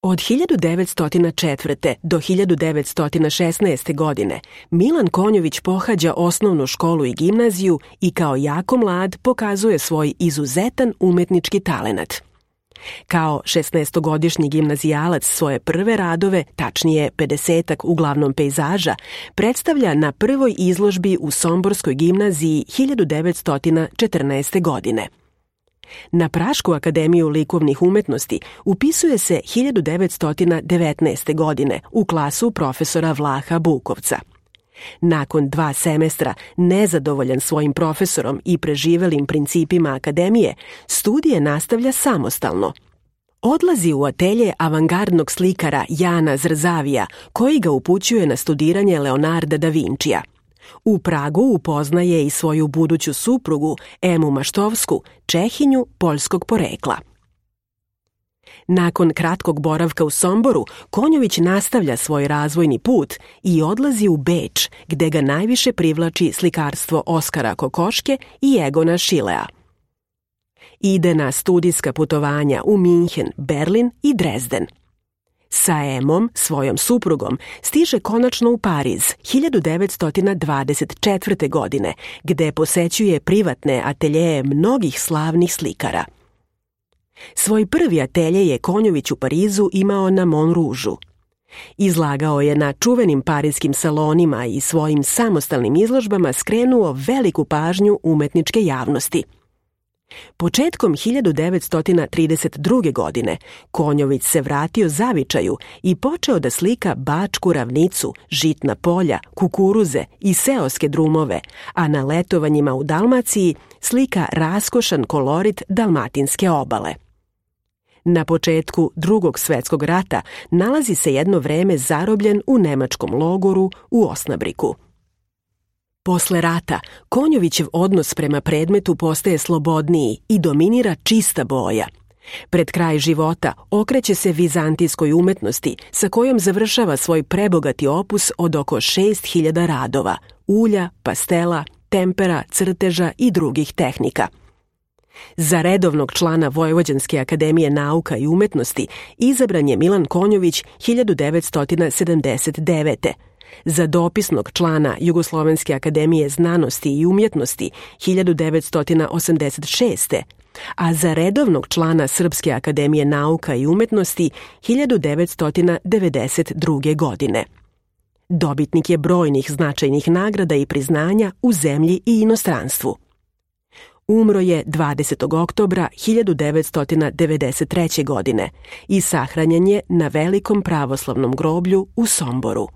Od 1904. do 1916. godine Milan Konjović pohađa osnovnu školu i gimnaziju i kao jako mlad pokazuje svoj izuzetan umetnički talenat. Kao 16-godišnji gimnazijalac svoje prve radove, tačnije 50-ak uglavnom pejzaža, predstavlja na prvoj izložbi u Somborskoj gimnaziji 1914. godine. Na Prašku akademiju likovnih umetnosti upisuje se 1919. godine u klasu profesora Vlaha Bukovca. Nakon 2 semestra, nezadovoljan svojim profesorom i preživelim principima akademije, studije nastavlja samostalno. Odlazi u atelje avangardnog slikara Jana Zrzavija, koji ga upućuje na studiranje Leonarda da Vincija. U Pragu upoznaje i svoju buduću suprugu Emu Maštovsku, Čehinju poljskog porekla. Nakon kratkog boravka u Somboru, Konjović nastavlja svoj razvojni put i odlazi u Beč, gde ga najviše privlači slikarstvo Oskara Kokoške i Egona Šilea. Ide na studijska putovanja u Minhen, Berlin i Drezden. Sa Emom, svojom suprugom, stiže konačno u Pariz 1924. godine, gde posećuje privatne ateljeje mnogih slavnih slikara. Svoj prvi atelje je Konjović u Parizu imao na Montrouge-u. Izlagao je na čuvenim pariskim salonima i svojim samostalnim izložbama skrenuo veliku pažnju umetničke javnosti. Početkom 1932. godine Konjović se vratio zavičaju i počeo da slika Bačku ravnicu, žitna polja, kukuruze i seoske drumove, a na letovanjima u Dalmaciji slika raskošan kolorit dalmatinske obale. Na početku Drugog svetskog rata nalazi se jedno vreme zarobljen u nemačkom logoru u Osnabriku. Posle rata, Konjovićev odnos prema predmetu postaje slobodniji i dominira čista boja. Pred kraj života okreće se vizantijskoj umetnosti, sa kojom završava svoj prebogati opus od oko 6000 radova, ulja, pastela, tempera, crteža i drugih tehnika. Za redovnog člana Vojvođanske akademije nauka i umetnosti izabran je Milan Konjović 1979. Za dopisnog člana Jugoslovenske akademije znanosti i umjetnosti 1986. a za redovnog člana Srpske akademije nauka i umetnosti 1992. godine. Dobitnik je brojnih značajnih nagrada i priznanja u zemlji i inostranstvu. Umro je 20. oktobra 1993. godine i sahranjen je na Velikom pravoslavnom groblju u Somboru.